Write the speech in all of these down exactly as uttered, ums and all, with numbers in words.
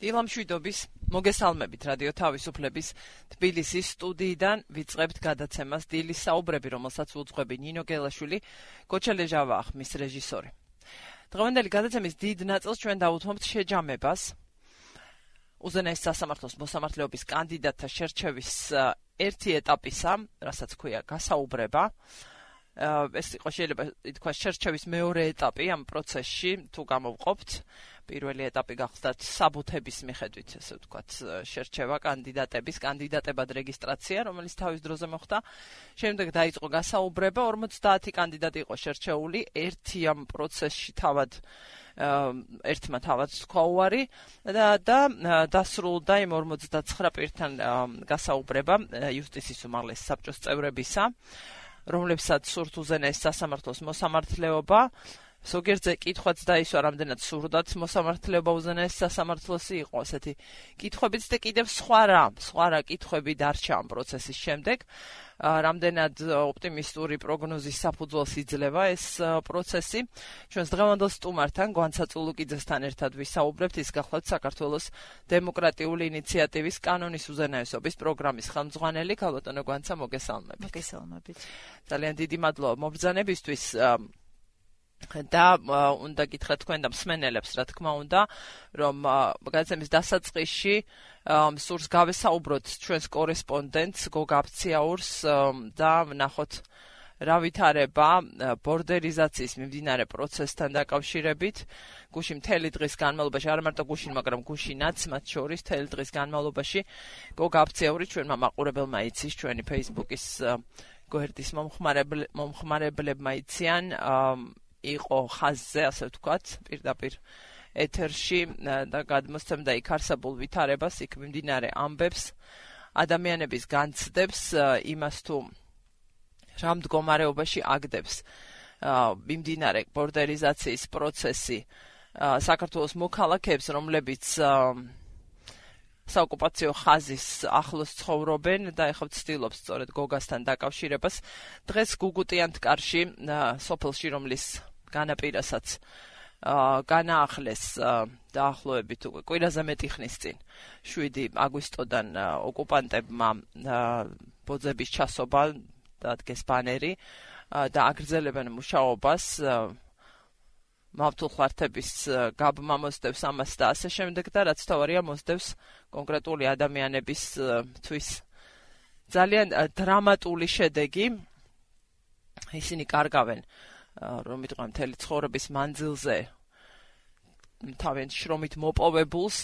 დილამშვიდობის მოგესალმებით რადიო თავისუფლების თბილისის სტუდიიდან ვიწყებთ გადაცემას დილის საუბრები, რომელსაც უძღვები ნინო გელაშვილი, კოჩელეჟავა ხმის რეჟისორი. დღევანდელი გადაცემის დიდ ნაწილს ჩვენ დავუთმობთ შეჯამებას უზენაეს სასამართლოს მოსამართლეობის კანდიდატთა შერჩევის ერთი ეტაპისა, რასაც ქვია გასაუბრება. ეს იყო შეიძლება ითქვას შერჩევის მეორე ეტაპი ამ პროცესში, თუ გამოვყოფთ. პირველი ეტაპი გახდათ საბუთების მიხედვით, ესე ვთქვათ, შერჩევა კანდიდატების, კანდიდატებად რეგისტრაცია, რომელიც თავის დროზე მოხდა. შემდეგ დაიწყო გასაუბრება, ორმოცდაათი კანდიდატი იყო შერჩეული, ერთი ამ პროცესში თავად ერთმა თავად თქვა უარი და და დასრულდა იმ ორმოცდაცხრა პირთან გასაუბრება იუსტიციის უმაღლეს საბჭოს წევრებისა, რომლებსაც სურთ უზენაეს სასამართლოს მოსამართლეობა. ზოგიერთზე კითხვაც დაისვა, რამდენად სურდათ მოსამართლეობა უზენაეს სასამართლოსი იყო ასეთი კითხვებიც და კიდევ სხვა რა, სხვა რა კითხვები დარჩა ამ პროცესის შემდეგ. რამდენად ოპტიმისტური პროგნოზის საფუძველს იძლევა ეს პროცესი. ჩვენს დღევანდელ სტუმართან, გვანცა წულუკიძესთან ერთად ვისაუბრებთ, ის გახლავთ საქართველოს დემოკრატიული ინიციატივის კანონის უზენაესობის პროგრამის ხელმძღვანელი. ქალბატონო გვანცა, მოგესალმებით. მოგესალმებით. ძალიან დიდი მადლობა მობრძანებისთვის. და უნდა გითხრათ თქვენ და მსმენელებს, რა თქმა უნდა, რომ გადაცემის დასაწყისში სურს გავესაუბროთ ჩვენს კორესპონდენტს გოგა აფციაურს და ვნახოთ რა ვითარება ბორდერიზაციის მიმდინარე პროცესთან დაკავშირებით. გუშინ მთელი დღის განმავლობაში, არა მარტო გუშინ, მაგრამ გუშინაც მათ შორის მთელი დღის განმავლობაში გოგა აფციაური ჩვენმა მაყურებელმა იცის, ჩვენი Facebook-ის გვერდის მომხმარებლებმა იციან, იყო ხაზზე, ასე ვთქვათ, პირდაპირ ეთერში და გადმოსცემდა იქ არსებულ ვითარებას, იქ მიმდინარე ამბებს, ადამიანების განცდებს, იმას თუ რა მდგომარეობაში აგდებს მიმდინარე ბორდერიზაციის პროცესი საქართველოს მოქალაქეებს, რომლებიც საოკუპაციო ხაზის ახლოს ცხოვრობენ და ეხლა ვცდილობ სწორედ გოგასთან დაკავშირებას. დღეს გუგუტიანთკარში, სოფელში, რომლის განაპირასაც განაახლეს დაახლოებით უკვე კვირაზე მეტი ხნის წინ შვიდი აგვისტოდან ოკუპანტებმა ბოძების ჩასობა დადგეს ბანერი და აგრძელებენ მუშაობას. მავთულხლართების გაბმა მოსდევს ამას და ასე შემდეგ და რაც თავარია მოსდევს კონკრეტული ადამიანების თვის ძალიან დრამატული შედეგი. ისინი კარგავენ, რომ იტყვიან, მთელი ცხოვრების მანძილზე თავენ შრომით მოპოვებულს,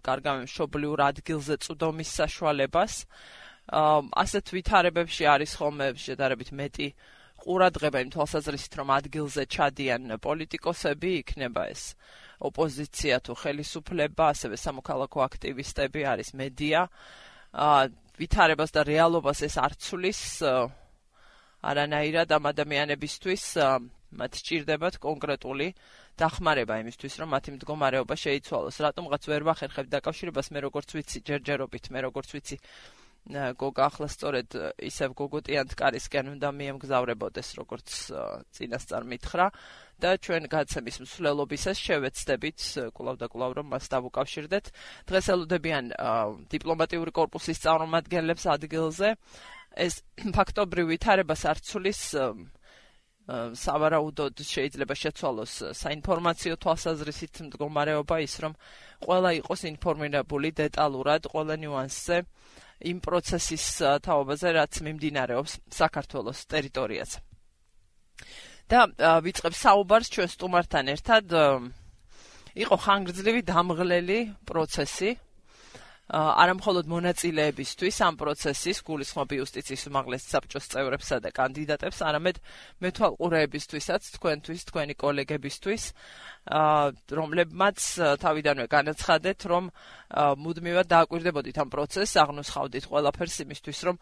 კარგავენ მშობლიურ ადგილზე წვდომის საშუალებას. ასეთ ვითარებებში არის ხოლმე შედარებით მეტი ყურადღება იმ თვალსაზრისით, რომ ადგილზე ჩადიან პოლიტიკოსები, იქნება ეს ოპოზიცია თუ ხელისუფლება, ასევე სამოქალაქო აქტივისტები, არის მედია. ვითარებას და რეალობას ეს არ ცვლის არანაირად ამ ადამიანებისთვის, მათ სჭირდებათ კონკრეტული დახმარება იმისთვის, რომ მათი მდგომარეობა შეიცვალოს. რატომღაც ვერ ვახერხებ დაკავშირებას, მე როგორც ვიცი, ჯერჯერობით, მე როგორც ვიცი, გოგა ახლა სწორედ ისევ გუგუტიანთკარისკენ უნდა მიემგზავრებოდეს, როგორც წინასწარ მითხრა და ჩვენ გადაცემის მსვლელობისას შევეცდებით კვლავ და კვლავ რომ მას დავუკავშირდეთ. დღეს ელოდებიან დიპლომატიური კორპუსის წარმომადგენლებს ადგილზე. ეს ფაქტობრივ ვითარებას არ ცვლის, სავარაუდოდ შეიძლება შეცვალოს საინფორმაციო თვალსაზრისით მდგომარეობა, ის რომ ყველა იყოს ინფორმირებული დეტალურად ყველა ნიუანსზე იმ პროცესის თაობაზე, რაც მიმდინარეობს საქართველოს ტერიტორიაზე. და ვიწყებ საუბარს ჩვენ სტუმართან ერთად. იყო ხანგრძლივი დამღლელი პროცესი, არა მხოლოდ მონაწილეებისთვის ამ პროცესის, გულისხმობ იუსტიციის უმაღლეს საბჭოს წევრებსა და კანდიდატებს, არამედ მეთვალყურეებისთვისაც, თქვენთვის, თქვენი კოლეგებისთვის, რომლებმაც თავიდანვე განაცხადეთ, რომ მუდმივად დააკვირდებოდით ამ პროცესს, აღნუსხავდით ყველაფერს იმისთვის, რომ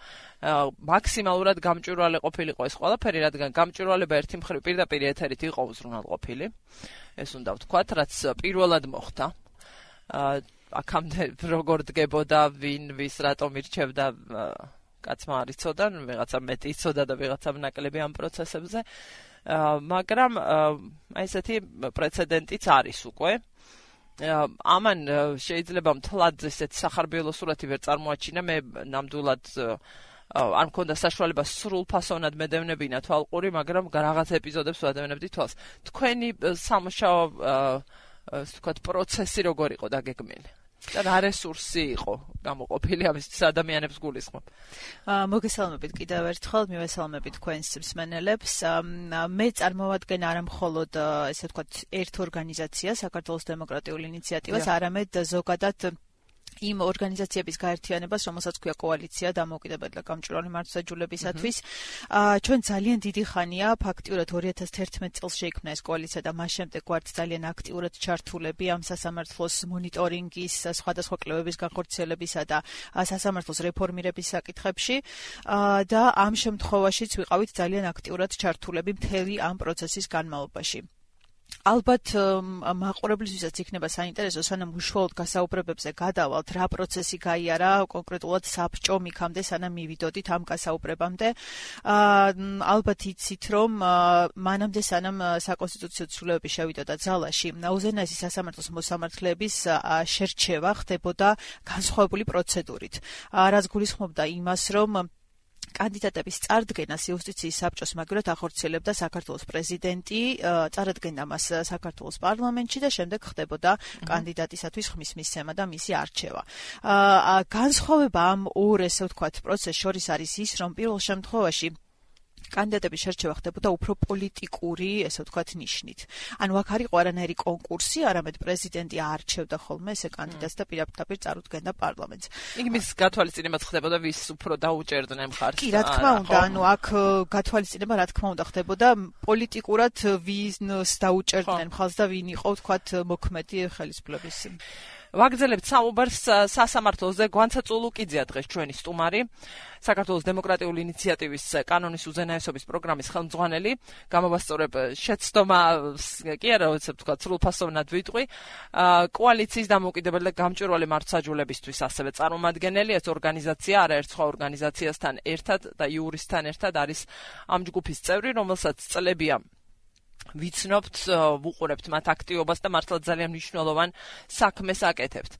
მაქსიმალურად გამჭვირვალე ყოფილიყო ეს ყველაფერი, რადგან გამჭვირვალება ერთი მხრივ პირდაპირ ეთერით იყო უზრუნველყოფილი. ეს უნდა ვთქვათ, რაც პირველად მოხდა. აქამდე როგორ დგებოდა, ვინ ვის რატომ ირჩევდა, კაცმა არ იცოდა, ვიღაცა მეტი იცოდა და ვიღაცა ნაკლები ამ პროცესებზე. მაგრამ აი ესეთი პრეცედენტიც არის უკვე. ამან შეიძლება მთლად ესეთ სახარბიელო სურათი ვერ წარმოაჩინა, მე ნამდვილად არ მქონდა საშუალება სრულფასოვნად მედევნებინა თვალყური, მაგრამ რაღაც ეპიზოდებს ვადევნებდი თვალს. თქვენი სამუშაო ასე ვთქვათ პროცესი როგორ იყო დაგეგმილი? და რა რესურსი იყო გამოყოფილი ამისთვის ადამიანებს გულისხმობ. მოგესალმებით კიდევ ერთხელ, მივესალმებით თქვენს მსმენელებს. მე წარმოვადგენ არა მხოლოდ ესე ვთქვათ ერთ ორგანიზაციას, საქართველოს დემოკრატიულ ინიციატივას, არამედ ზოგადად იმ ორგანიზაციების გაერთიანებას, რომელსაც ქვია კოალიცია დამოუკიდებელი და გამჭვირვალე მართლმსაჯულებისათვის. ჩვენ ძალიან დიდი ხანია, ფაქტიურად ორი ათას თერთმეტ წელს შეიქმნა ეს კოალიცია და მას შემდეგ ვართ ძალიან აქტიურად ჩართულები ამ სასამართლოს მონიტორინგის, სხვადასხვა კვლევების განხორციელებისა და სასამართლოს რეფორმირების საკითხებში და ამ შემთხვევაშიც ვიყავით ძალიან აქტიურად ჩართულები მთელი ამ პროცესის განმავლობაში. ალბათ მაყურებლისთვისაც იქნება საინტერესო, სანამ უშუალოდ გასაუბრებებზე გადავალთ, რა პროცესი გაიარა კონკრეტულად საბჭომ იქამდე, სანამ მივიდოდით ამ გასაუბრებამდე. ალბათ იცით, რომ მანამდე სანამ საკონსტიტუციო ცვლილებები შევიდოდა ძალაში, უზენაესი სასამართლოს მოსამართლეების შერჩევა ხდებოდა განსხვავებული პროცედურით, რაც გულისხმობდა იმას, რომ კანდიდატების წარდგენას იუსტიციის საბჭოს მაგივრად ახორციელებდა საქართველოს პრეზიდენტი, წარადგენდა მას საქართველოს პარლამენტში და შემდეგ ხდებოდა კანდიდატისათვის ხმის მისცემა და მისი არჩევა. განსხვავება ამ ორ ესე ვთქვათ პროცესს შორის არის ის, რომ პირველ შემთხვევაში კანდიდატების შერჩევა ხდებოდა უფრო პოლიტიკური, ესე ვთქვათ, ნიშნით. ანუ აქ არ იყო არანაირი კონკურსი, არამედ პრეზიდენტი არჩევდა ხოლმე ესე კანდიდატს და პირდაპირ წარუდგენდა პარლამენტს. იქ მის გათვალისწინებაც ხდებოდა, ვის უფრო დაუჭერდნენ მხარს. კი, რა თქმა უნდა, ანუ აქ გათვალისწინება რა თქმა უნდა ხდებოდა პოლიტიკურად ვინს დაუჭერდნენ მხარს და ვინ იყო, ვთქვათ, მოქმედი ხელისუფლების. ვაგრძელებთ საუბარს სასამართლოზე. გვანცა წულუკიძეა დღეს ჩვენი სტუმარი, საქართველოს დემოკრატიული ინიციატივის კანონის უზენაესობის პროგრამის ხელმძღვანელი. გამოვასწორებ შეცდომა კი არა, ვთქვათ, თქვა სრულფასოვნად ვიტყვი. კოალიციის დამოუკიდებელი და გამჭვირვალე მართლმსაჯულებისთვის ასევე წარმომადგენელი, ეს ორგანიზაცია არაერთ სხვა ორგანიზაციასთან ერთად და იურისთან ერთად არის ამ ჯგუფის წევრი, რომელსაც წლებია ვიცნობთ, ვუყურებთ მათ აქტივობას და მართლა ძალიან მნიშვნელოვან საქმეს აკეთებთ.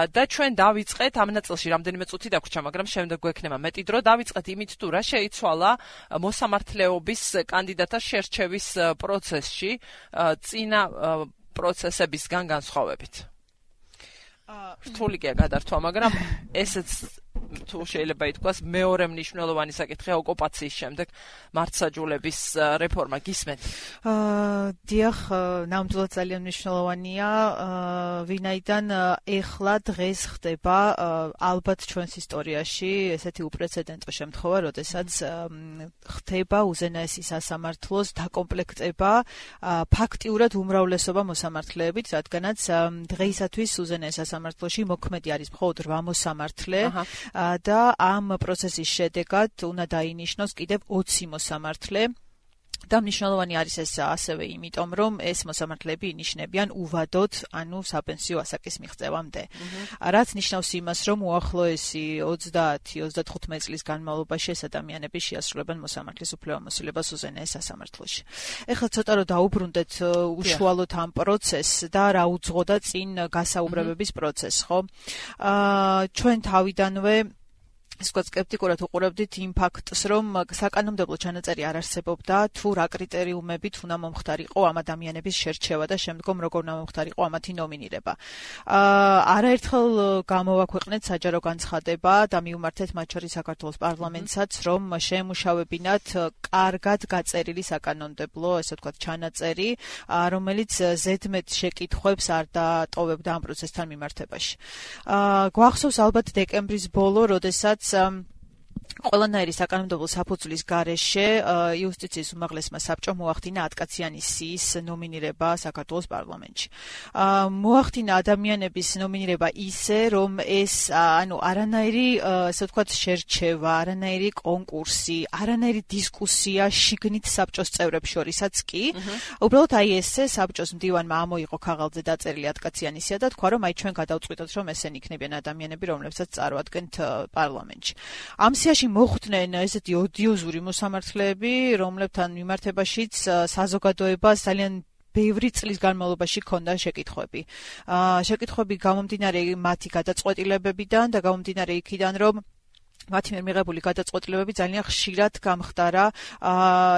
და ჩვენ დავიწყეთ ამ ნაწილში რამდენიმე წუთი დაგვრჩა, მაგრამ შემდეგ გვექნება მეტი დრო. დავიწყეთ იმით, თუ რა შეიცვალა მოსამართლეობის კანდიდატთა შერჩევის პროცესში წინა პროცესებისგან განსხვავებით. რთულია გადართვა, მაგრამ ესეც თუ შეიძლება ითქვას მეორე მნიშვნელოვანი საკითხია ოკუპაციის შემდეგ მართლმსაჯულების რეფორმა. გისმენთ? დიახ, ნამდვილად ძალიან მნიშვნელოვანია, ვინაიდან ეხლა დღეს ხდება ალბათ ჩვენს ისტორიაში ესეთი უპრეცედენტო შემთხვევა, როდესაც ხდება უზენაესი სასამართლოს დაკომპლექტება ფაქტიურად უმრავლესობა მოსამართლეებით, რადგანაც დღეისათვის უზენაეს სასამართლოში მოქმედი არის მხოლოდ რვა მოსამართლე და ამ პროცესის შედეგად უნდა დაინიშნოს კიდევ ოცი მოსამართლე. და მნიშვნელოვანი არის ეს ასევე იმიტომ, რომ ეს მოსამართლეები ინიშნებიან უვადოდ, ანუ საპენსიო ასაკის მიღწევამდე. რაც ნიშნავს იმას, რომ უახლოესი ოცდაათი ოცდათხუთმეტი წლის განმავლობაში ეს ადამიანები შეასრულებენ მოსამართლის უფლებამოსილებას უზენაეს სასამართლოში. ეხლა ცოტა რომ დაუბრუნდეთ უშუალოდ ამ პროცესს და რა უძღოდა წინ გასაუბრებების პროცესს, ხო? ჩვენ თავიდანვე ისე სკეპტიკურად უყურებდით იმ ფაქტს, რომ საკანონმდებლო ჩანაწერი არ არსებობდა, თუ რა კრიტერიუმებით უნდა მომხდარიყო ამ ადამიანების შერჩევა და შემდგომ როგორ უნდა მომხდარიყო ამათი ნომინირება. არაერთხელ გამოვაქვეყნეთ საჯარო განცხადება და მიუმართეთ მათ შორის საქართველოს პარლამენტსაც, რომ შეემუშავებინათ კარგად გაწერილი საკანონმდებლო, ესე ვთქვათ, ჩანაწერი, რომელიც ზედმეტ შეკითხვებს არ დატოვებდა ამ პროცესთან მიმართებაში. გვახსოვს ალბათ დეკემბრის ბოლო, როდესაც ყველანაირი საკანონმდებლო საფუძვლის გარეშე იუსტიციის უმაღლესმა საბჭომ მოახდინა ათკაციანი სიის ნომინირება საქართველოს პარლამენტში. მოახდინა ადამიანების ნომინირება ისე, რომ ეს ანუ არანაირი, ასე ვთქვათ, შერჩევა, არანაირი კონკურსი, არანაირი დისკუსია შიგნით საბჭოს წევრებს შორისაც კი. უბრალოდ აი ესე საბჭოს მდივანმა ამოიღო ქაღალდზე დაწერილი ათკაციანი სია და თქვა, რომ აი ჩვენ გადავწყვიტოთ, რომ ესენი იქნებიან ადამიანები, რომლებსაც წარვადგენთ პარლამენტში. ამ სიაში მოხვდნენ ესეთი ოდიოზური მოსამართლეები, რომლებთან მიმართებაშიც საზოგადოებას ძალიან ბევრი წლის განმავლობაში ქონდა შეკითხვები. აა შეკითხვები გამომდინარე მათი გადაწყვეტილებებიდან და გამომდინარე იქიდან, რომ მათი მიერ მიღებული გადაწყვეტილებები ძალიან ხშირად გამხდარა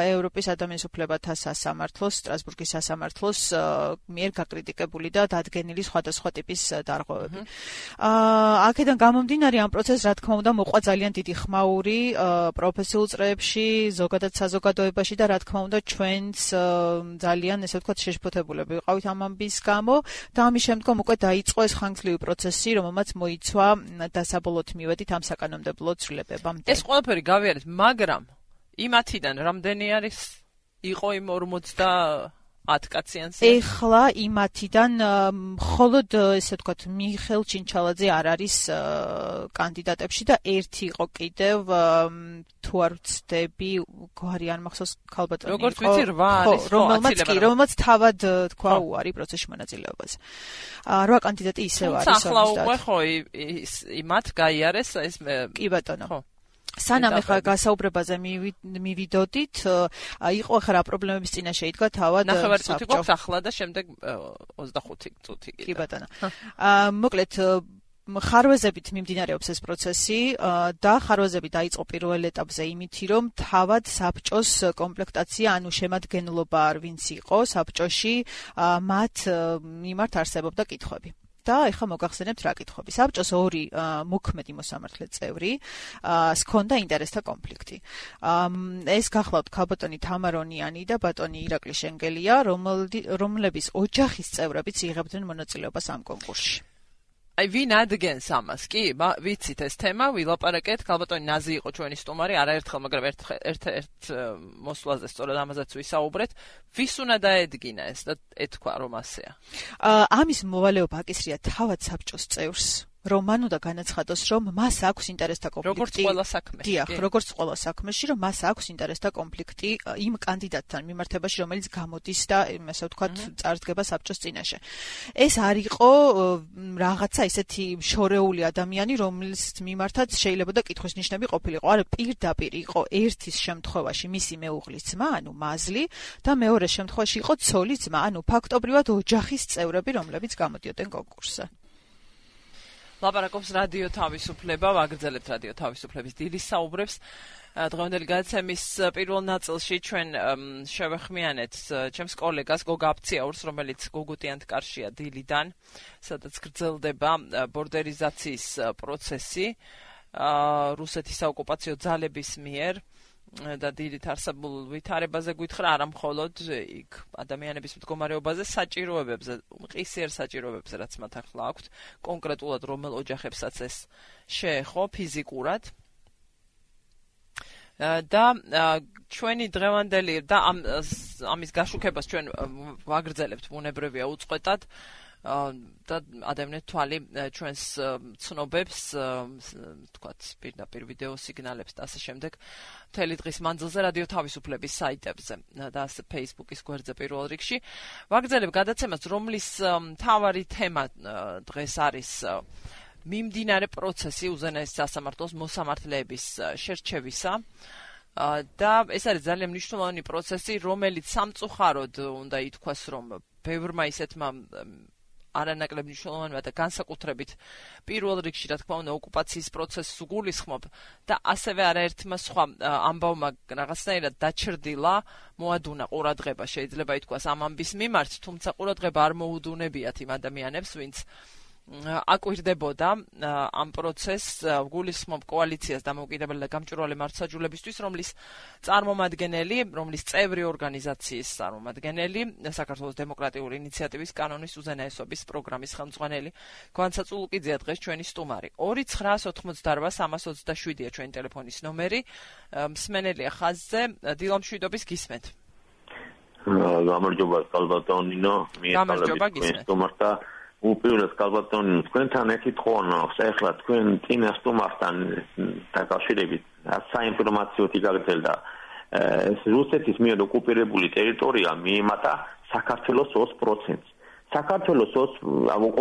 ევროპის ადამიანის უფლებათა სასამართლოს, სტრასბურგის სასამართლოს მიერ გაკრიტიკებული და დადგენილი სხვადასხვა ტიპის დარღვევები. აქედან გამომდინარე ამ პროცესს, რა თქმა უნდა, მოყვა ძალიან დიდი ხმაური პროფესიულ წრეებში, ზოგადად საზოგადოებაში და რა თქმა უნდა, ჩვენც ძალიან, ესე ვთქვათ, შეშფოთებულები ვიყავით ამ ამბის გამო და ამის შემდგომ უკვე დაიწყო ეს ხანგრძლივი პროცესი, რომელმაც მოიცვა დასაბოლოოდ მივედით ამ საკანონმდებლო ცვლილებებამდე. ეს ყველაფერი გავიარეთ, მაგრამ იმათიდან რამდენი არის იყო იმ ორმოცდაათ კაციანზე? ეხლა იმათიდან მხოლოდ ესე ვთქვათ მიხელ ჩინჩალაძე არ არის კანდიდატებში და ერთი იყო კიდევ თუ არ ვცდები, გვარი არ მახსოვს ქალბატონი იყო. როგორც ვიცი რვა არის, რომელმაც კი, რომელმაც თავად თქვა უარი პროცესში მონაწილეობაზე. რვა კანდიდატი ისევ არის. ახლა უკვე ხო იმათ გაიარეს ეს კი ბატონო. ხო. სანამ ახლა გასაუბრებაზე მივიდოდით, იყო ახლა რა პრობლემების წინაშე იდგა თავად საბჭო. ნახევარი წუთი გვაქვს ახლა და შემდეგ ოცდახუთი წუთი კიდე. კი ბატონო. მოკლედ ხარვეზებით მიმდინარეობს ეს პროცესი და ხარვეზები დაიწყო პირველ ეტაპზე იმითი, რომ თავად საბჭოს კომპლექტაცია, ანუ შემადგენლობა ვინც იყო საბჭოში, მათ მიმართ არსებობდა კითხვები. და ეხლა მოგახსენებთ რა კითხვები. საბჭოს ორი მოქმედი მოსამართლე წევრი ჰქონდა ინტერესთა კონფლიქტი. ეს გახლავთ ქალბატონი თამარონიანი და ბატონი ირაკლი შენგელია, რომლების ოჯახის წევრებიც იღებდნენ მონაწილეობას ამ კონკურსში. აი ვინ ადგენს ამას? კი, ვიცით ეს თემა, ვილაპარაკეთ, ქალბატონი ნაზი იყო ჩვენი სტუმარი, არაერთხელ, მაგრამ ერთ-ერთ მოსვლაზე სწორედ ამაზეც ვისაუბრეთ. ვის უნდა დაედგინა ეს და ეთქვა რომ ასეა? ამის მოვალეობა აკისრია თავად საბჭოს წევრს. რომ მან უნდა განაცხადოს, რომ მას აქვს ინტერესთა კონფლიქტი. როგორც ყველა საქმეში. დიახ, როგორც ყველა საქმეში, რომ მას აქვს ინტერესთა კონფლიქტი იმ კანდიდატთან მიმართებაში, რომელიც გამოდის და ასე ვთქვათ, წარსდგება საბჭოს წინაშე. ეს არ იყო რაღაცა ისეთი შორეული ადამიანი, რომლის მიმართაც შეიძლება და კითხვის ნიშნები ყოფილიყო. არა, პირდაპირ იყო ერთის შემთხვევაში მისი მეუღლის ძმა, ანუ მაზლი და მეორეს შემთხვევაში იყო ცოლის ძმა, ანუ ფაქტობრივად ოჯახის წევრები, რომლებიც გამოდიოდნენ კონკურსზე. ლაპარაკობს რადიო თავისუფლება, ვაგრძელებთ რადიო თავისუფლების დილის საუბრებს. დღევანდელი გადაცემის პირველ ნაწილში ჩვენ შევეხმიანეთ ჩემს კოლეგას გოგა აფციაურს, რომელიც გოგუტიანთკარშია დილიდან, სადაც გრძელდება ბორდერიზაციის პროცესი რუსეთის საოკუპაციო ძალების მიერ. და დილით არსებულ ვითარებაზე გითხრა, არა მხოლოდ იქ ადამიანების მდგომარეობაზე, საჭიროებებზე, მყისიერ საჭიროებებზე, რაც მათ ახლა აქვთ, კონკრეტულად რომელ ოჯახებსაც ეს შეეხო ფიზიკურად. და ჩვენი დღევანდელი და ამის გაშუქებას ჩვენ ვაგრძელებთ ბუნებრივია უწყვეტად. და ადამიანთა თვალი ჩვენს ცნობებს, თქვათ, პირდაპირ ვიდეო სიგნალებს და ასე შემდეგ მთელი დღის მანძილზე რადიო თავისუფლების საიტებზე და ასე Facebook-ის გვერდზე პირველ რიგში. ვაგრძელებ გადაცემას, რომლის მთავარი თემა დღეს არის მიმდინარე პროცესი უზენაეს სასამართლოს მოსამართლეების შერჩევისა. და ეს არის ძალიან მნიშვნელოვანი პროცესი, რომელიც სამწუხაროდ უნდა ითქვას, რომ ბევრმა ისეთმა არანაკლებ მნიშვნელოვანია და განსაკუთრებით პირველ რიგში, რა თქმა უნდა, ოკუპაციის პროცესს უგულისხმობ და ასევე არაერთმა სხვა ამბავმა რაღაცნაირად დაჩრდილა, მოადუნა ყურადღება, შეიძლება ითქვას ამ ამბის მიმართ, თუმცა ყურადღება არ მოუდუნებიათ იმ ადამიანებს, ვინც აკვირდებოდა ამ პროცესს, გულისხმობ კოალიციას დამოუკიდებელი და გამჭვირვალე მართლმსაჯულებისთვის, რომლის წარმომადგენელი, რომლის წევრი ორგანიზაციის წარმომადგენელი, საქართველოს დემოკრატიული ინიციატივის კანონის უზენაესობის პროგრამის ხელმძღვანელი გვანცა წულუკიძეა დღეს ჩვენი სტუმარი. ორი ცხრაას ოცდარვა სამას ოცდაშვიდია ჩვენი ტელეფონის ნომერი. მსმენელია ხაზზე, დილამშვიდობის გისმენთ. გამარჯობა კალბატონინო, გამარჯობა გისმენთ. უპირველეს კალბატონინო, თქვენთან ეკითხონა, ახლა თქვენ წინა სტუმართან დაკავშირებით საინფორმაციო თიგაგრძელდა ეს რუსეთის მიერ ოკუპირებული ტერიტორია მიემატა საქართველოს ოც პროცენტს. საქართველოს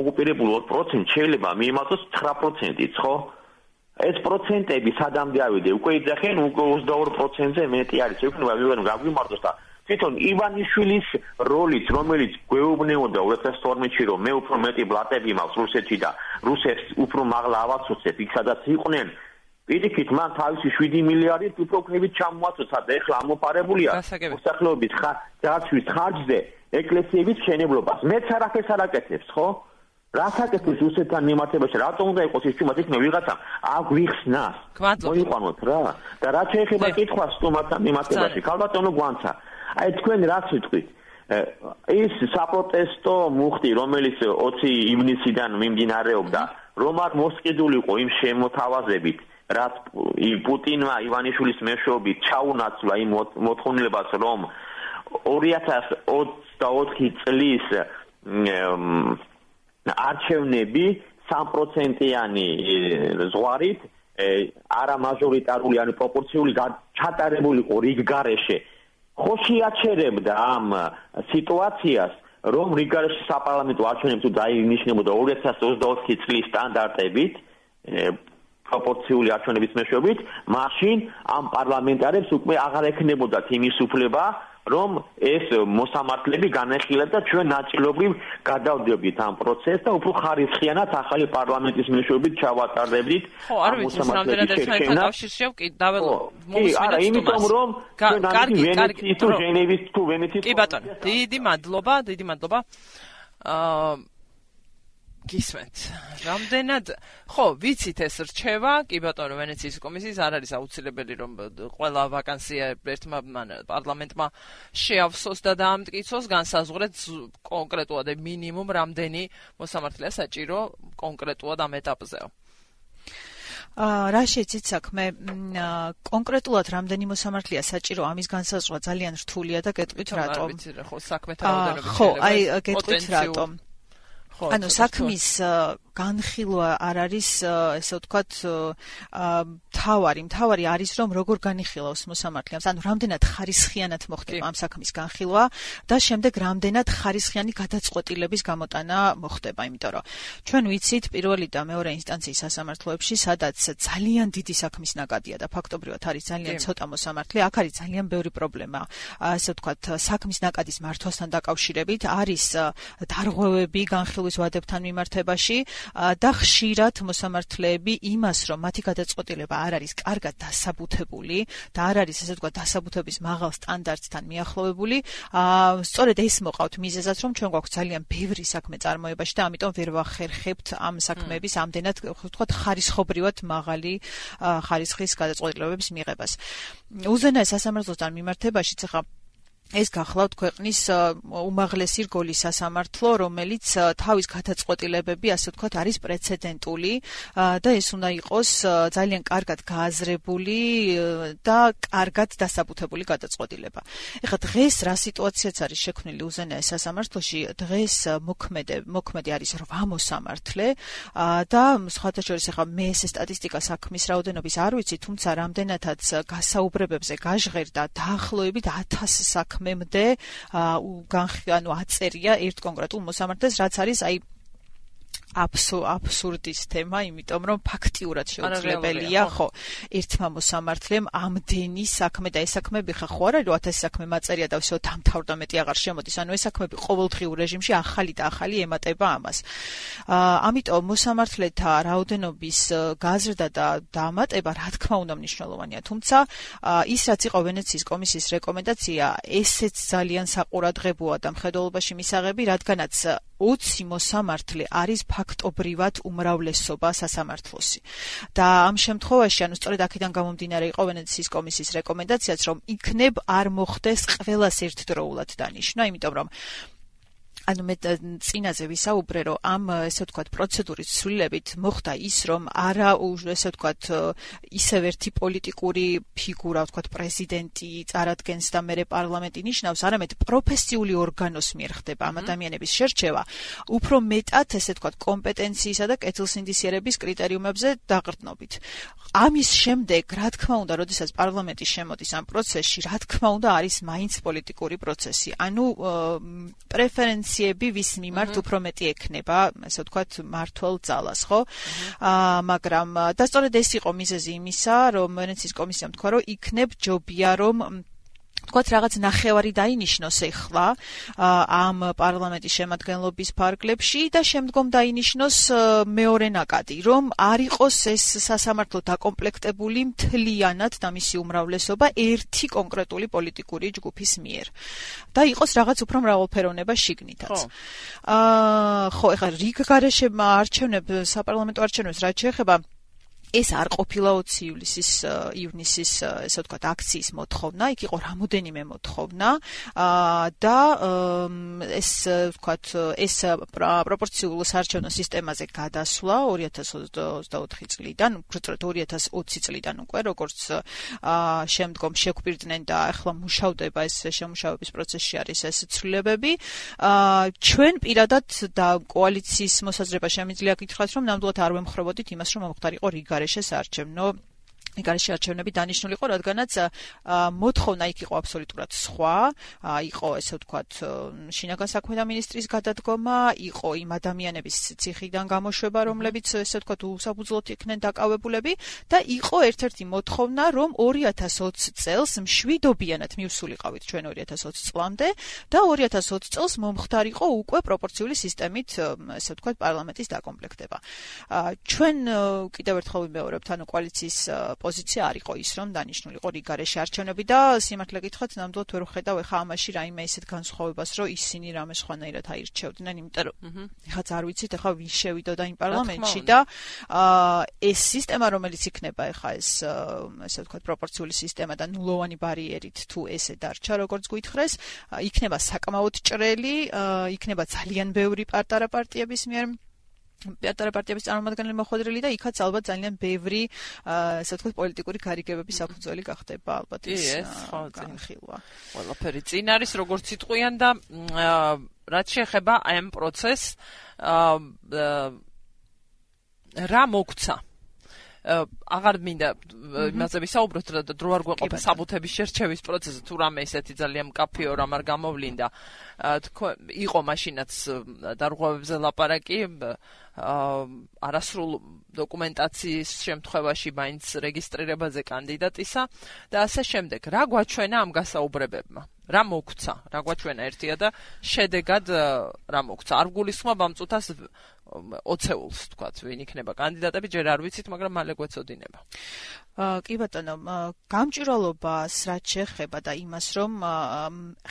ოკუპირებული ოც პროცენტი შეიძლება მიემატოს ცხრა პროცენტიც, ხო? ეს პროცენტები სადამდე ავიდე, უკვე იძახენ უკვე ოცდაორი პროცენტზე მეტი არის. ექნება ვიღენ გაგვიმართოს და თვითონ ივანიშვილის როლიც, რომელიც გვეუბნებოდა two thousand twelve-ში, რომ მე უფრო მეტი ბლატები მაქვს რუსეთში და რუსებს უფრო მაღლა ავაცოცებ, იქ სადაც იყვნენ, პირიქით მან თავისი seven მილიარდით უფრო ქვევით ჩამოაცოცა და ეხლა ამოფარებულია მოსახლეობის დაცვის ხარჯზე ეკლესიების მშენებლობას. მეც არაფერს არ აკეთებს, ხო? რას აკეთებს რუსეთთან მიმართებაში? რატომ უნდა იყოს ის თუმცა იქნებ ვიღაცამ აგვიხსნას. მოიყვანოთ რა. და რაც შეეხება კითხვას სტუმართან მიმართებაში, ქალბატონო გვანცა. აი თქვენ რაც ვიტყვით, ის საპროტესტო მუხტი, რომელიც twenty ივნისიდან მიმდინარეობდა, რომ არ მოსყიდულიყო იმ შემოთავაზებით, რაც პუტინმა ივანიშვილის მეშვეობით ჩაუნაცვლა იმ მოთხოვნილებას, რომ two thousand twenty-four წლის არჩევნები three პროცენტიანი ზღვარით არა მაჟორიტარული, ანუ პროპორციული ჩატარებულიყო რიგ გარეშე. ხო შეაჩერებდა ამ სიტუაციას, რომ რიგ გარეშე საპარლამენტო არჩევნები თუ დაინიშნებოდა two thousand twenty-four წლის სტანდარტებით, პროპორციული არჩევნების მეშვეობით, მაშინ ამ პარლამენტარებს უკვე აღარ ექნებოდათ იმის უფლება, რომ ეს მოსამართლეები განეხილათ და ჩვენ ნაწილობრივ გადავდებდით ამ პროცესს და უფრო ხარისხიანად ახალი პარლამენტის მეშვეობით ჩავატარდებდით. ხო, არ ვიცი, რამდენად ერთმანეთთან კავშირში კი დაველო. კი, არა, იმიტომ რომ კარგი, კარგი, თუ ჟენევის თუ ვენეციის. კი ბატონო, დიდი მადლობა, დიდი მადლობა. აა გისმენთ. რამდენად ხო, ვიცით ეს რჩევა, კი ბატონო, ვენეციის კომისიის არ არის აუცილებელი რომ ყველა ვაკანსია ერთმა პარლამენტმა შეავსოს და დაამტკიცოს, განსაზღვრეთ კონკრეტულად მინიმუმ რამდენი მოსამართლეა საჭირო კონკრეტულად ამ ეტაპზეო. აა რა შეცით საქმე კონკრეტულად რამდენი მოსამართლეა საჭირო ამის განსაზღვრა ძალიან რთულია და გეტყვით რატომ. ვიცი რა, ხო, საქმეთა რაოდენობით ხო, აი გეტყვით რატომ. ანუ საქმის განხილვა არ არის ესე ვთქვათ თავარი, თავარი არის რომ როგორ განიხილავს მოსამართლეებს, ანუ რამდენად ხარისხიანად მოხდება ამ საქმის განხილვა და შემდეგ რამდენად ხარისხიანი გადაწყვეტილების გამოტანა მოხდება, იმიტომ რომ ჩვენ ვიცით პირველი და მეორე ინსტანციის სასამართლოებში, სადაც ძალიან დიდი საქმის ნაკადია და ფაქტობრივად არის ძალიან ცოტა მოსამართლე, აქ არის ძალიან ბევრი პრობლემა, ესე ვთქვათ საქმის ნაკადის მართვასთან დაკავშირებით, არის დარღვევები განხილვის ვადებთან მიმართებაში და ხშირად მოსამართლეები იმას, რომ მათი გადაწყვეტილება არ არის კარგად დასაბუთებული და არ არის ესე ვთქვათ დასაბუთების მაღალ სტანდარტთან მიახლოვებული, სწორედ ეს მოყავთ მიზეზად, რომ ჩვენ გვაქვს ძალიან ბევრი საქმე წარმოებაში და ამიტომ ვერ ვახერხებთ ამ საქმეების ამდენად ვთქვათ ხარისხობრივად მაღალი ხარისხის გადაწყვეტილებების მიღებას. უზენაეს სასამართლოსთან მიმართებაშიც ახლა ეს გახლავთ ქვეყნის უმაღლესი რგოლის სასამართლო, რომელიც თავის გადაწყვეტილებები, ასე ვთქვათ, არის პრეცედენტული და ეს უნდა იყოს ძალიან კარგად გააზრებული და კარგად დასაბუთებული გადაწყვეტილება. ეხლა დღეს რა სიტუაციაც არის შექმნილი უზენაეს სასამართლოში, დღეს მოქმედი მოქმედი არის რვა მოსამართლე და სხვათა შორის ეხლა მე ეს სტატისტიკა საქმის რაოდენობის არ ვიცი, თუმცა რამდენადაც გასაუბრებებზე გაჟღერდა დაახლოებით ათას საქმე მემდე ანუ აწერია ერთ კონკრეტულ მოსამართლეს, რაც არის აი აბსურდის თემა, იმიტომ რომ ფაქტიურად შეუძლებელია, ხო, ერთმა მოსამართლემ ამდენი საქმე და ეს საქმეები ხა ხო არა რომ ათასი საქმე მაწერია და всё დამთავრდა მეტი აღარ შემოდის, ანუ ეს საქმეები ყოველდღიურ რეჟიმში ახალი და ახალი ემატება ამას. ამიტომ მოსამართლეთა რაოდენობის გაზრდა და დამატება რა თქმა უნდა მნიშვნელოვანია, თუმცა ის რაც იყო ვენეციის კომისიის რეკომენდაცია, ესეც ძალიან საყურადღებოა და მხედველობაში მისაღები, რადგანაც ოცი მოსამართლე არის ფაქტობრივად უმრავლესობა სასამართლოსი. და ამ შემთხვევაში, ანუ სწორედ აქედან გამომდინარე იყო ვენეციის კომისიის რეკომენდაციაც, რომ იქნებ არ მოხდეს ყველას ერთდროულად დანიშნა, იმიტომ რომ ანუ მე წინაზე ვისაუბრე, რომ ამ ესე ვთქვათ პროცედურის ცვლილებით მოხდა ის, რომ არა ესე ვთქვათ ისევ ერთი პოლიტიკური ფიგურა, ვთქვათ პრეზიდენტი წარადგენს და მერე პარლამენტი ნიშნავს, არამედ პროფესიული ორგანოს მიერ ხდება ამ ადამიანების შერჩევა, უფრო მეტად ესე ვთქვათ კომპეტენციისა და კეთილსინდისიერების კრიტერიუმებზე დაყრდნობით. ამის შემდეგ, რა თქმა უნდა, როდესაც პარლამენტი შემოდის ამ პროცესში, რა თქმა უნდა, არის მაინც პოლიტიკური პროცესი. ანუ პრეფერენციები ვის მიმართ უფრო მეტი ექნება, ასე ვთქვათ, მართლ ძალას, ხო? აა მაგრამ და სწორედ ეს იყო მიზეზი იმისა, რომ ვენეციის კომისიამ თქვა, რომ იქნებ ჯობია, რომ თქვათ რაღაც ნახევარი დაინიშნოს ეხლა ამ პარლამენტის შემადგენლობის ფარგლებში და შემდგომ დაინიშნოს მეორე ნაკადი, რომ არ იყოს ეს სასამართლო დაკომპლექტებული მთლიანად და მისი უმრავლესობა ერთი კონკრეტული პოლიტიკური ჯგუფის მიერ და იყოს რაღაც უფრო მრავალფეროვნება შიგნითაც. აა ხო, ეხლა რიგ გარეშე არჩევნებს, საპარლამენტო არჩევნებს რაც შეეხება ეს არ ყოფილა ოცი ივლისის ივნისის ესე ვთქვათ აქციის მოთხოვნა, იქ იყო რამოდენიმე მოთხოვნა და ეს ვთქვათ ეს პროპორციულ საარჩევნო სისტემაზე გადასვლა ორი ათას ოცდაოთხი წლიდან, უბრალოდ ორი ათას ოცი წლიდან უკვე, როგორც შემდგომ შეგვირდნენ და ახლა მუშავდება ეს შემუშავების პროცესში არის ეს ცვლილებები. ჩვენ პირადად და კოალიციის მოსაზრება შემიძლია გითხრათ, რომ ნამდვილად არ ვემხრობოდით იმას, რომ მომხდარიყო რიგ საარჩევნო გარეშე არჩევნები დანიშნული იყო, რადგანაც მოთხოვნა იქ იყო აბსოლუტურად სხვა, იყო ესე ვთქვათ შინაგან საქმეთა მინისტრის გადადგომა, იყო იმ ადამიანების ციხიდან გამოშვება, რომლებიც ესე ვთქვათ უსაფუძვლოდ იქნენ დაკავებულები და იყო ერთ-ერთი მოთხოვნა, რომ ორი ათას ოცი წელს მშვიდობიანად მივსულიყავით ჩვენ ორი ათას ოცი წლამდე და ორი ათას ოცი წელს მომხდარიყო უკვე პროპორციული სისტემით ესე ვთქვათ პარლამენტის დაკომპლექტება. ჩვენ კიდევ ერთხელ ვიმეორებთ, ანუ კოალიციის პოზიცია არ იყო ის, რომ დანიშნულიყო რიგ გარეშე არჩევნები და სიმართლე გითხრათ, ნამდვილად ვერ ვხედავ ეხა ამაში რაიმე ისეთ განსხვავებას, რომ ისინი რამე სხვანაირად აირჩევდნენ, იმიტომ რომ ეხაც არ ვიცით, ეხა ვის შევიდოდა იმ პარლამენტში და ეს სისტემა, რომელიც იქნება ეხა ეს ესე ვთქვათ პროპორციული სისტემა და ნულოვანი ბარიერით თუ ესე დარჩა, როგორც გითხრეს, იქნება საკმაოდ ჭრელი, იქნება ძალიან ბევრი პატარა პარტიების მიერ პატარა პარტიების წარმომადგენლები მოხვედრილი და იქაც ალბათ ძალიან ბევრი ასე ვთქვათ პოლიტიკური გარიგებების საფუძველი გახდება ალბათ ის განხილვა. ყველაფერი წინ არის როგორც იტყვიან და რაც შეეხება აი ამ პროცესს რა მოგცა აღარ მინდა იმაზე ვისაუბროთ, და დრო არ გვეყოფა საბუთების შერჩევის პროცესზე, თუ რამე ისეთი ძალიან მკაფიო რამ არ გამოვლინდა. იყო მაშინაც დარღვევებზე ლაპარაკი, არასრულ დოკუმენტაციის შემთხვევაში მაინც რეგისტრირებაზე კანდიდატისა და ასე შემდეგ. რა გვაჩვენა ამ გასაუბრებებმა? რა მოგცა? რა გვაჩვენა ერთია და შედეგად რა მოგცა? არ გულისხმობ ამ წუთას ოცეულს, თქვათ, ვინ იქნება კანდიდატები, ჯერ არ ვიცით, მაგრამ მალე გვეცოდინება. კი ბატონო, გამჭვირვალობას რაც შეეხება და იმას, რომ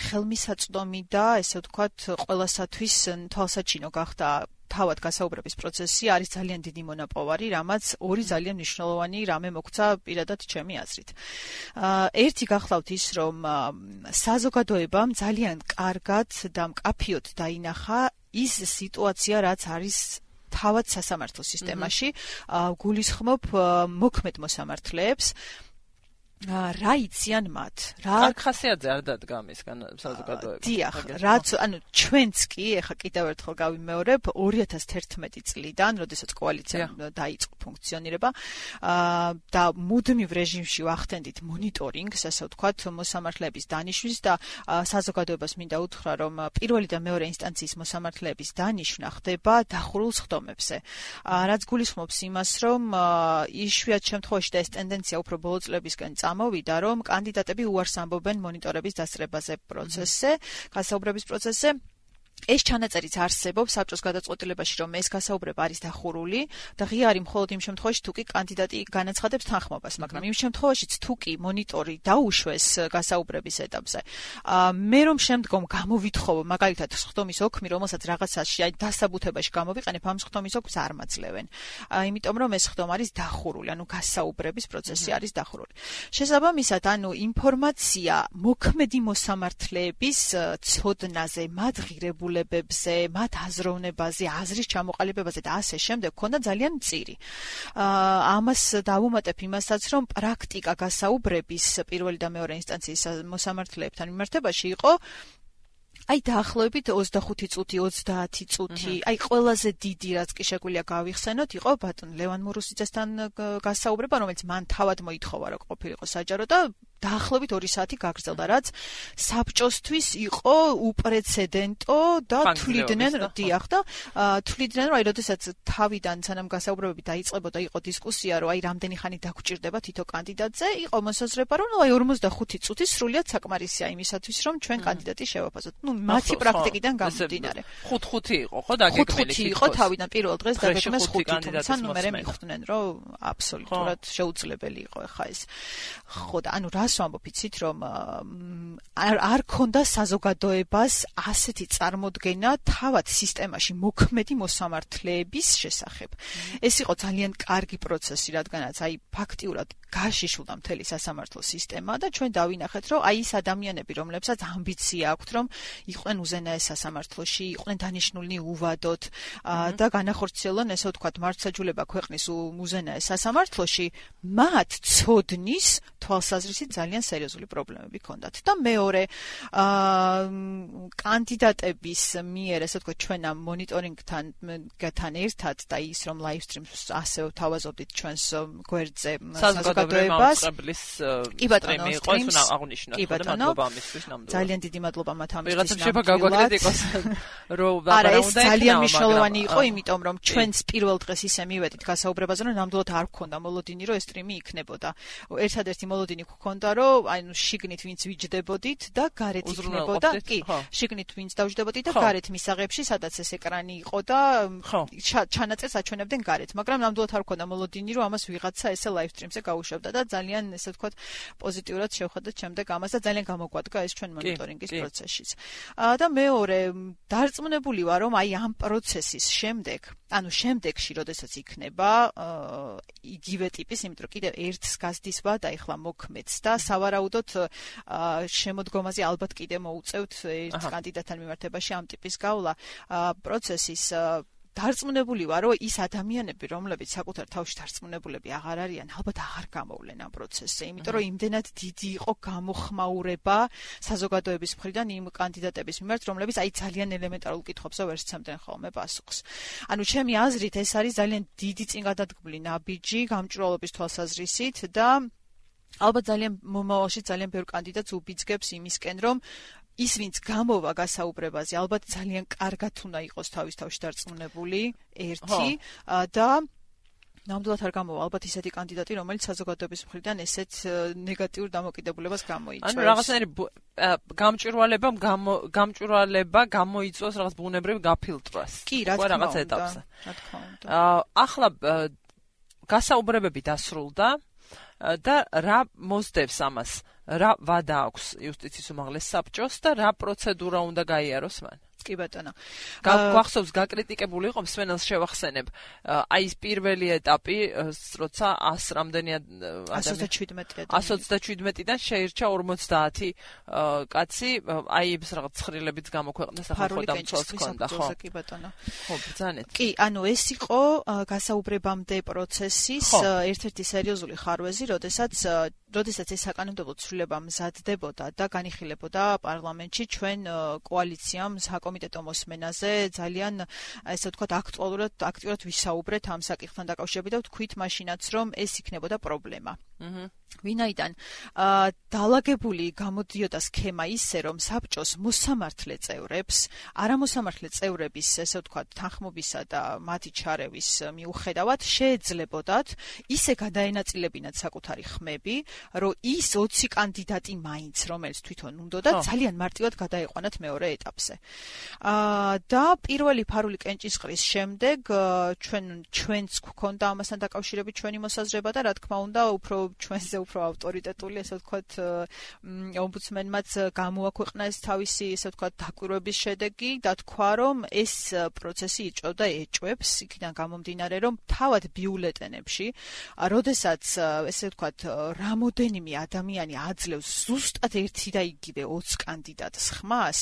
ხელმისაწვდომი და ესე ვთქვათ, ყველასათვის თვალსაჩინო გახდა თავად გასაუბრების პროცესი არის ძალიან დიდი მონაპოვარი, რამაც ორი ძალიან მნიშვნელოვანი რამე მოგცა პირადად ჩემი აზრით. ერთი გახლავთ ის, რომ საზოგადოებამ ძალიან კარგად და მკაფიოდ დაინახა ის სიტუაცია, რაც არის თავად სასამართლო სისტემაში, გულისხმობ მოქმედ მოსამართლეებს, რა იციან მათ? რა კარგ ხასიათზე არ დადგა მისგან საზოგადოება. დიახ, რაც ანუ ჩვენც კი ეხა კიდევ ერთხელ გავიმეორებ ორი ათას თერთმეტი წლიდან, როდესაც კოალიცია დაიწყო ფუნქციონირება და მუდმივ რეჟიმში ვახდენდით მონიტორინგს, ასე ვთქვათ, მოსამართლეების დანიშვნის და საზოგადოებას მინდა უთხრა, რომ პირველი და მეორე ინსტანციის მოსამართლეების დანიშვნა ხდება დახურულ სხდომებზე. რაც გულისხმობს იმას, რომ იშვიათ შემთხვევაში და ეს ტენდენცია უფრო ბოლო წლებისკენ მოვიდა, რომ კანდიდატები უარს ამბობენ მონიტორების დასწრებაზე პროცესზე, გასაუბრების პროცესზე. ეს ჩანაწერიც არსებობს საბჭოს გადაწყვეტილებაში, რომ ეს გასაუბრება არის დახურული და ღია არის მხოლოდ იმ შემთხვევაში, თუ კი კანდიდატი განაცხადებს თანხმობას, მაგრამ იმ შემთხვევაშიც თუ კი მონიტორი დაუშვეს გასაუბრების ეტაპზე. მე რომ შემდგომ გამოვითხოვო, მაგალითად, სხდომის ოქმი, რომელსაც რაღაცაში აი დასაბუთებაში გამოვიყენებ, ამ სხდომის ოქმს არ მაძლევენ. იმიტომ რომ ეს სხდომა არის დახურული, ანუ გასაუბრების პროცესი არის დახურული. შესაბამისად, ანუ ინფორმაცია მოქმედი მოსამართლეების ცოდნაზე, მათ ღირებულ მათ აზროვნებაზე, აზრის ჩამოყალიბებაზე და ასე შემდეგ ქონდა ძალიან მწირი. ამას დავუმატებ იმასაც, რომ პრაქტიკა გასაუბრების პირველი და მეორე ინსტანციის მოსამართლეებთან მიმართებაში იყო აი დაახლოებით ოცდახუთი წუთი, ოცდაათი წუთი, აი ყველაზე დიდი რაც კი შეგვიძლია გავიხსენოთ, იყო ბატონ ლევან მურუსიძესთან გასაუბრება, რომელიც მან თავად მოითხოვა, რომ ყოფილიყო საჯარო და დაახლოებით ორი საათი გაგრძელდა, რაც საბჭოსთვის იყო უპრეცედენტო და თვლიდნენ, დიახ და თვლიდნენ, რომ აი როდესაც თავიდან სანამ გასაუბრებები დაიწყებოდა, იყო დისკუსია, რომ აი რამდენი ხანი დაგჭირდება თითო კანდიდატზე, იყო მოსაზრება, რომ აი ორმოცდახუთი წუთი სრულიად საკმარისია იმისათვის, რომ ჩვენ კანდიდატი შევაფასოთ. ნუ მათი პრაქტიკიდან გამომდინარე. ხუთ-ხუთი იყო, ხო, დაგეგმილი. ხუთი იყო თავიდან პირველ დღეს დაგეგმეს ხუთი, თუმცა ნუ მე მიხვდნენ, რომ აბსოლუტურად შეუძლებელი იყო ხა ეს. ხო და ანუ რას ვამბობ იცით, რომ არ არ ქონდა საზოგადოებას ასეთი წარმოდგენა თავად სისტემაში მოქმედი მოსამართლეების შესახებ. ეს იყო ძალიან კარგი პროცესი, რადგანაც აი ფაქტიურად გაშიშულდა მთელი სასამართლო სისტემა და ჩვენ დავინახეთ, რომ აი ეს ადამიანები, რომლებსაც ამბიცია აქვთ, რომ იყვნენ უზენაეს სასამართლოში, იყვნენ დანიშნულნი უვადოთ და განახორციელონ, ესე ვთქვათ, მართლმსაჯულება ქვეყნის უზენაეს სასამართლოში, მათ ცოდნის თვალსაზრისით ძალიან სერიოზული პრობლემები ჰქონდათ. და მეორე, კანდიდატების მიერ, ესე ვთქვათ, ჩვენ ამ მონიტორინგთან თან ერთად და ის რომ live streams ასე ვთავაზობდით ჩვენს გვერდზე საზოგადოებას. კი ბატონო, იყო ეს უნდა აღნიშნოთ, ხო და მადლობა ამისთვის ნამდვილად. ძალიან დიდი მადლობა მათ ამისთვის. ვიღაცამ შეფა გაგვაკრიტიკოს, რომ არა, ეს ძალიან მნიშვნელოვანი იყო, იმიტომ რომ ჩვენს პირველ დღეს ისე მივედით გასაუბრებაზე, რომ ნამდვილად არ გქონდა მოლოდინი, რომ ეს სტრიმი იქნებოდა. ერთადერთი მოლოდინი გქონდა, რომ აი ნუ შიგნით ვინც ვიჯდებოდით და გარეთ იქნებოდა, კი, შიგნით ვინც დავჯდებოდით და გარეთ მისაღებში, სადაც ეს ეკრანი იყო და ჩანაწერს აჩვენებდნენ გარეთ, მაგრამ ნამდვილად არ გქონდა მოლოდინი, რომ ამას ვიღაცა ესე live stream-ზე გაუშვებდა და ძალიან ესე ვთქვათ პოზიტიურად შევხედოთ შემდეგ ამას და ძალიან გამოგვადგა ეს ჩვენ მონიტორინგის პროცესშიც. და მეორე, დარწმუნებული ვარ, რომ აი ამ პროცესის შემდეგ, ანუ შემდეგში, როდესაც იქნება იგივე ტიპის, იმიტომ რომ კიდევ ერთს გასდისვა და ეხლა მოქმედს და სავარაუდოდ შემოდგომაზე ალბათ კიდე მოუწევთ ერთ კანდიდატთან მიმართებაში ამ ტიპის გავლა პროცესის დარწმუნებული ვარ, რომ ის ადამიანები, რომლებიც საკუთარ თავში დარწმუნებულები აღარ არიან, ალბათ აღარ გამოვლენ ამ პროცესზე, იმიტომ რომ იმდენად დიდი იყო გამოხმაურება საზოგადოების მხრიდან იმ კანდიდატების მიმართ, რომლებიც აი ძალიან ელემენტარულ კითხვებზე ვერ სცემდნენ ხოლმე პასუხს. ანუ ჩემი აზრით, ეს არის ძალიან დიდი წინგადადგმული ნაბიჯი გამჭვირვალობის თვალსაზრისით და ალბათ ძალიან მომავალში ძალიან ბევრ კანდიდატს უბიძგებს იმისკენ, რომ ის ვინც გამოვა გასაუბრებაზე, ალბათ ძალიან კარგად უნდა იყოს თავის თავში დარწმუნებული, ერთი და ნამდვილად არ გამოვა ალბათ ისეთი კანდიდატი, რომელიც საზოგადოების მხრიდან ესეთ ნეგატიურ დამოკიდებულებას გამოიწვევს. ანუ რაღაცნაირი გამჭვირვალებამ გამჭვირვალება გამოიწვევს რაღაც ბუნებრივ გაფილტრას. კი, რა თქმა უნდა. ეტაპზე. რა თქმა უნდა. ახლა გასაუბრებები დასრულდა და რა მოსდევს ამას? რა ვადა აქვს იუსტიციის უმაღლეს საბჭოს და რა პროცედურა უნდა გაიაროს მან? კი ბატონო. გვახსოვს გაკრიტიკებული იყო მსმენელს შევახსენებ. აი ეს პირველი ეტაპი, როცა ას რამდენი ადამიანი ას ოცდაშვიდმეტიდან შეირჩა ორმოცდაათი კაცი, აი ეს რაღაც ცხრილებიც გამოქვეყნდა სახელმწიფო დამცველს ჰქონდა, ხო? კი ბატონო. ხო, ბრძანეთ. კი, ანუ ეს იყო გასაუბრებამდე პროცესის ერთ-ერთი სერიოზული ხარვეზი, როდესაც როდესაც ეს საკანონმდებლო ცვლილება მზადდებოდა და განიხილებოდა პარლამენტში, ჩვენ კოალიციამ საკომიტეტო მოსმენაზე ძალიან, ესე ვთქვათ, აქტუალურად აქტიურად ვისაუბრეთ ამ საკითხთან დაკავშირებით და ვთქვით მაშინაც, რომ ეს იქნებოდა პრობლემა. აჰა. ვინაიდან დაალაგებული გამოდიოდა სქემა ისე, რომ საბჭოს მოსამართლე წევრებს, არამოსამართლე წევრების, ესე ვთქვათ, თანხმობისა და მათი ჩარევის მიუხედავად შეეძლებოდათ ისე გადაენაწილებინათ საკუთარი ხმები, რომ ის ოცი კანდიდატი მაინც, რომელიც თვითონ უნდოდა, ძალიან მარტივად გადაეყვანათ მეორე ეტაპზე. და პირველი ფარული კენჭისყრის შემდეგ ჩვენ ჩვენც გვქონდა ამასთან დაკავშირებით ჩვენი მოსაზრება და რა თქმა უნდა, უფრო ჩვენზე უფრო ავტორიტეტული, ესე ვთქვათ, ომბუდსმენმაც გამოაქვეყნა ეს თავისი, ესე ვთქვათ, დაკვირვების შედეგი და თქვა, რომ ეს პროცესი იწვევდა ეჭვებს, იქიდან გამომდინარე, რომ თავად ბიულეტენებში, როდესაც, ესე ვთქვათ, რამოდენიმე ადამიანი აძლევს ზუსტად ერთი და იგივე ოცი კანდიდატს ხმას,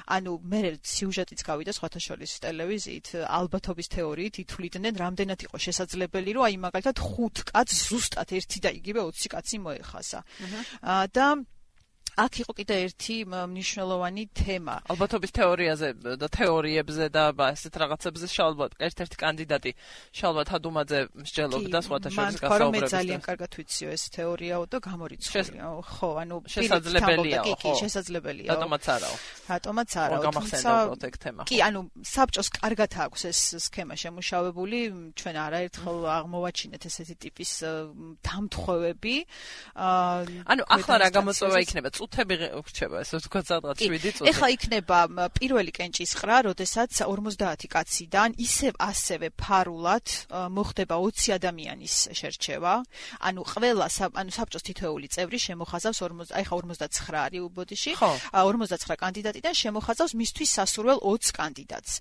ანუ მე სიუჟეტიც გავიდა სხვათა შორის ტელევიზიით, ალბათობის თეორიით ითვლიდნენ, რამდენად იყო შესაძლებელი, რომ აი მაგალითად ხუთ კაცს ზუსტად ერთი და იგივე ოცი კაცი მოეხაზა. და აქ იყო კიდე ერთი მნიშვნელოვანი თემა. ალბათობის თეორიაზე და თეორიებზე და ასეთ რაღაცებზე შალბათ ერთ-ერთი კანდიდატი შალბათ ჰადუმაძე მსჯელობდა სხვათა შორის გასაუბრებისას. მე ძალიან კარგად ვიციო ეს თეორიაო და გამორიცხულია. ხო, ანუ შესაძლებელია, ხო, შესაძლებელია. რატომაც არაო. რატომაც არაო. გამახსენებთ ეგ თემა. კი, ანუ საბჭოს კარგად აქვს ეს სქემა შემუშავებული, ჩვენ არაერთხელ აღმოვაჩინეთ ესეთი ტიპის დამთხოვები. ანუ ახლა რა გამოწვევა იქნება? წუთები რჩება, ესე ვთქვათ, სადღაც შვიდი წუთი. ეხლა იქნება პირველი კენჭისყრა, როდესაც ორმოცდაათი კაციდან ისევ ასევე ფარულად მოხდება ოცი ადამიანის შერჩევა. ანუ ყველა ანუ საბჭოს თითოეული წევრი შემოხაზავს ორმოცდა, აი ხა ორმოცდაცხრა არის უბოდიში. ორმოცდაცხრა კანდიდატიდან შემოხაზავს მისთვის სასურველ ოცს კანდიდატს.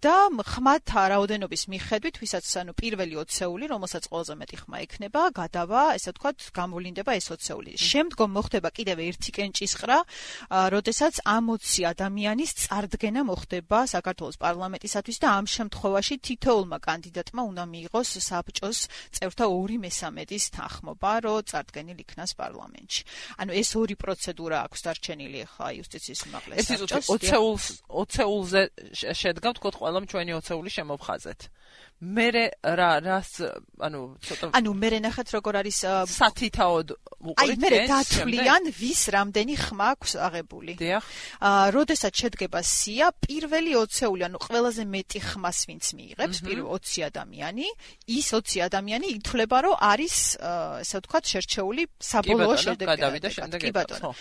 და ხმათა რაოდენობის მიხედვით, ვისაც ანუ პირველი ოცეული, რომელსაც ყველაზე მეტი ხმა ექნება, გადავა, ესე ვთქვათ, გამოვლინდება ეს ოცეული. შემდგომ მოხდება კიდევ ერთი კენჭისყრა, როდესაც ამ ოცი ადამიანის წარდგენა მოხდება საქართველოს პარლამენტისათვის და ამ შემთხვევაში თითოეულმა კანდიდატმა უნდა მიიღოს საბჭოს წევრთა ორი მესამედის თანხმობა, რომ წარდგენილ იქნას პარლამენტში. ანუ ეს ორი პროცედურა აქვს დარჩენილი ახლა იუსტიციის უმაღლეს საბჭოს. ოცეულს ოცეულზე შედგა ვთქვათ ყველამ ჩვენი ოცეული შემოვხაზეთ. მერე რა რას ანუ ცოტა ანუ მერე ნახეთ როგორ არის სათითაოდ უყურით აი მერე დათვლიან ვის რამდენი ხმა აქვს აღებული. დიახ. აა როდესაც შედგება სია, პირველი ოცეული, ანუ ყველაზე მეტი ხმას ვინც მიიღებს, პირველ ოცი ადამიანი, ის ოცი ადამიანი ითვლება, რომ არის ესე ვთქვათ შერჩეული საბოლოო შედეგად. კი ბატონო.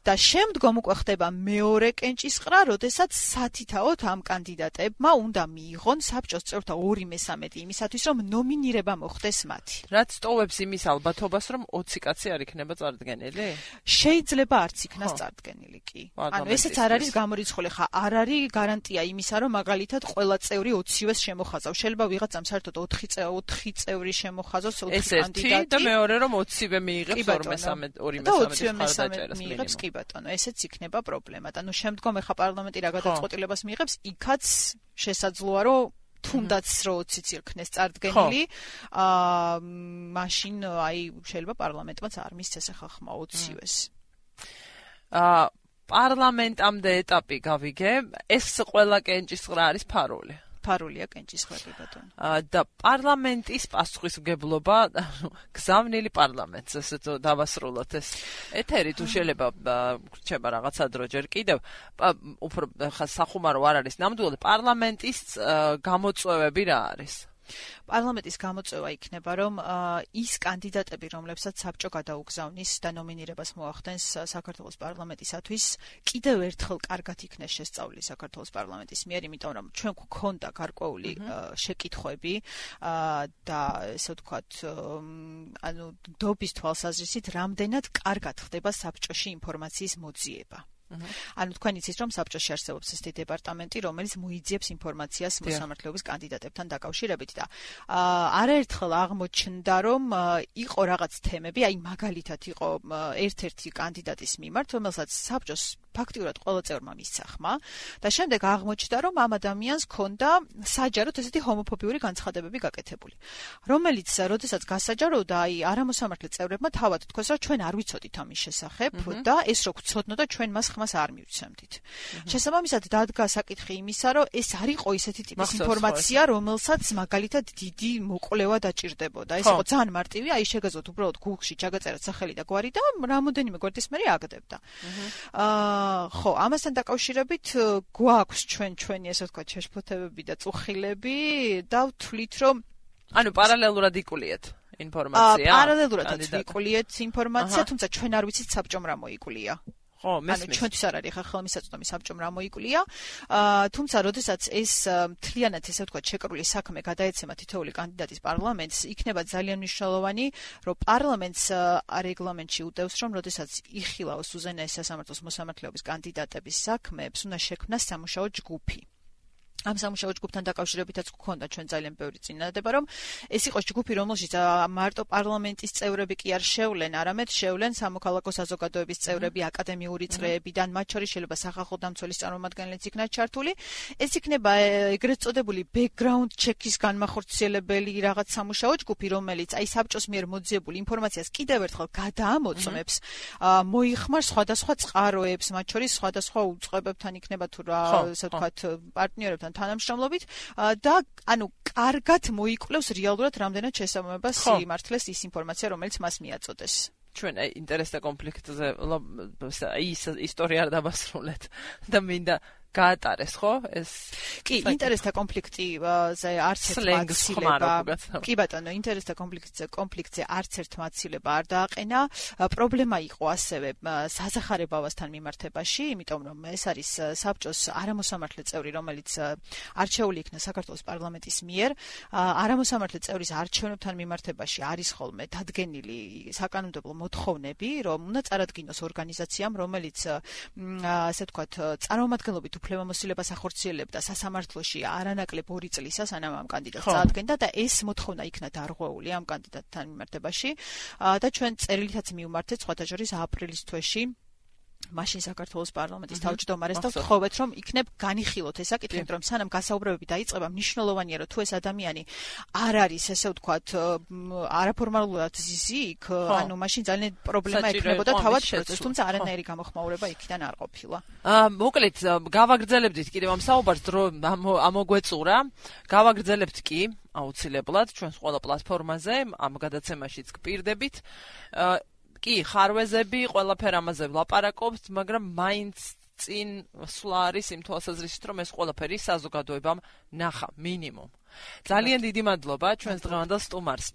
და შემდგომ უკვე ხდება მეორე კენჭისყრა, როდესაც სათითაოდ ამ კანდიდატებმა უნდა მიიღონ საბჭოს წევრთა ორი მესამედი იმისათვის, რომ ნომინირება მოხდეს მათი. რაც ტოვებს იმის ალბათობას, რომ ოცი კაცი არ იქნება წარდგენილი? შეიძლება არც იქნას წარდგენილი კი. ანუ ესეც არ არის გამორიცხული, ხა არ არის გარანტია იმისა, რომ მაგალითად ყველა წევრი ოცივეს შემოხაზავს. შეიძლება ვიღაცამ საერთოდ ოთხი წევრი შემოხაზოს ოცი კანდიდატი. ეს ერთი და მეორე რომ ოცივე მიიღებს ორი მესამედი ორი მესამედის მიიღებს კი ბატონო, ესეც იქნება პრობლემა. ანუ შემდგომ ახლა პარლამენტი რა გადაწყვეტილებას მიიღებს, იქაც შესაძლოა, რომ თუნდაც რო ოციც იქნეს წარდგენილი, აა მაშინ აი შეიძლება პარლამენტმაც არ მისცეს ახლა ხმა ოცივეს. აა პარლამენტამდე ეტაპი გავიგე, ეს ყველა კენჭისყრა არის ფარული. ფარულია კენჭისყრები ბატონო. და პარლამენტის პასუხისმგებლობა, გზავნილი პარლამენტს, ესე თუ დავასრულოთ ეს ეთერი თუ შეიძლება რჩება რაღაცა დრო ჯერ კიდევ, უფრო სახუმარო არ არის ნამდვილად პარლამენტის გამოწვევები რა არის? პარლამენტის გამოწვევა იქნება, რომ ის კანდიდატები, რომლებსაც საბჭო გადაუგზავნის და ნომინირებას მოახდენს საქართველოს პარლამენტისათვის, კიდევ ერთხელ კარგად იქნეს შესწავლილი საქართველოს პარლამენტის მიერ, იმიტომ რომ ჩვენ გვქონდა გარკვეული შეკითხვები და ესე ვთქვათ, ანუ დობის თვალსაზრისით, რამდენად კარგად ხდება საბჭოში ინფორმაციის მოძიება. ანუ თქვენ იცით რომ საბჭოში არსებობს ესეთი დეპარტამენტი, რომელიც მოიძიებს ინფორმაციას მოსამართლეობის კანდიდატებთან დაკავშირებით და არაერთხელ აღმოჩნდა რომ იყო რაღაც თემები, აი მაგალითად იყო ერთ-ერთი კანდიდატის მიმართ, რომელსაც საბჭოს ფაქტიურად ყველა წევრმა მისცა ხმა და შემდეგ აღმოჩნდა რომ ამ ადამიანს ჰქონდა საჯაროდ ესეთი ჰომოფობიური განცხადებები გაკეთებული, რომელიც როდესაც გასაჯაროდა, აი არამოსამართლე წევრებმა თავად თქვეს, რომ ჩვენ არ ვიცოდით ამის შესახებ და ეს რო გვცოდნოდა, ჩვენ მას ხმას არ მივცემდით. შესაბამისად დადგა საკითხი იმისა, რომ ეს არ იყო ისეთი ტიპის ინფორმაცია, რომელსაც მაგალითად დიდი მოკვლევა დაჭირდებოდა. ეს იყო ძალიან მარტივი, აი შეგაზოთ უბრალოდ Google-ში ჩაგაწეროთ სახელი და გვარი და რამოდენიმე გვერდის მერე აგდებდა. აა ხო, ამასთან დაკავშირებით გვაქვს ჩვენ ჩვენი ესე ვთქვათ შეშფოთებები და წუხილები და ვთვლით რომ ანუ პარალელურად იკულიეთ ინფორმაცია. პარალელურადაც ვიკულიეთ ინფორმაცია, თუმცა ჩვენ არ ვიცით საბჭომ რა მოიკულია. ხო, ანუ ჩვენთვის არ არის ხა ხელმისაწვდომი საბჭომ რა მოიკულია. თუმცა როდესაც ეს მთლიანად ესე ვთქვათ შეკრული საქმე გადაეცემა თითოეული კანდიდატის პარლამენტს, იქნება ძალიან მნიშვნელოვანი, რომ პარლამენტს რეგლამენტში უდევს, რომ როდესაც იხილავს უზენაეს სასამართლოს მოსამართლეობის კანდიდატების საქმეებს, უნდა შექმნას სამუშაო ჯგუფი. ამ სამუშაო ჯგუფთან დაკავშირებითაც გქონდა ჩვენ ძალიან ბევრი წინადადება, რომ ეს იყოს ჯგუფი, რომელშიც მარტო პარლამენტის წევრები კი არ შევლენ, არამედ შევლენ სამოქალაქო საზოგადოების წევრები, აკადემიური წრეებიდან, მათ შორის შეიძლება სახალხო დამცველის წარმომადგენლიც იქნათ ჩართული. ეს იქნება ეგრეთ წოდებული background check-ის განმახორციელებელი რაღაც სამუშაო ჯგუფი, რომელიც აი საბჭოს მიერ მოძიებულ ინფორმაციას კიდევ ერთხელ გადაამოწმებს, მოიხმარს სხვადასხვა წყაროებს, მათ შორის სხვადასხვა უწყებებთან იქნება თუ რა, ასე ვთქვათ, პარტნიორებთან თანამშრომლობით და ანუ კარგად მოიკვლევს რეალურად რამდენად შესაბამება სიმართლეს ის ინფორმაცია, რომელიც მას მიაწოდეს. ჩვენ ინტერესთა კონფლიქტზე ის ისტორია არ დავასრულეთ და მინდა გაატარეს, ხო? ეს კი, ინტერესთა კონფლიქტზე არც ერთ მაცილება. კი ბატონო, ინტერესთა კონფლიქტზე კონფლიქტზე არც ერთ მაცილება არ დააყენა. პრობლემა იყო ასევე საზახარებავასთან მიმართებაში, იმიტომ რომ ეს არის საბჭოს არამოსამართლე წევრი, რომელიც არჩეული იქნა საქართველოს პარლამენტის მიერ. არამოსამართლე წევრის არჩევნებთან მიმართებაში არის ხოლმე დადგენილი საკანონმდებლო მოთხოვნები, რომ უნდა წარადგინოს ორგანიზაციამ, რომელიც ასე ვთქვათ, წარმომადგენლობით უფლებამოსილებას ახორციელებდა სასამართლოში არანაკლებ ორი წლისა, სანამ ამ კანდიდატს წარადგენდა და ეს მოთხოვნა იქნა დარღვეული ამ კანდიდატთან მიმართებაში და ჩვენ წერილითაც მივმართეთ სხვათა შორის აპრილის თვეში მაშინ საქართველოს პარლამენტის თავმჯდომარეს და ვთხოვეთ, რომ იქნებ განიხილოთ ეს საკითხი, რომ სანამ გასაუბრებები დაიწყება, მნიშვნელოვანია, რომ თუ ეს ადამიანი არ არის, ესე ვთქვათ, არაფორმალურად ზიზიქ, ანუ მაშინ ძალიან პრობლემა ექნებოდა თავად პროცესს, თუმცა არანაირი გამოხმაურება იქიდან არ ყოფილა. აა, მოკლედ, გავაგრძელებდით კიდევ ამ საუბარს, დრო ამოგვეწურა. გავაგრძელებთ კი აუცილებლად ჩვენს ყველა პლატფორმაზე, ამ გადაცემაშიც გპირდებით. კი, ხარვეზები, ყველაფერ ამაზე ვლაპარაკობთ, მაგრამ მაინც წინ სვლა არის იმ თვალსაზრისით, რომ ეს ყველაფერი საზოგადოებამ ნახა, მინიმუმ. ძალიან დიდი მადლობა ჩვენს დღევანდელ სტუმარს.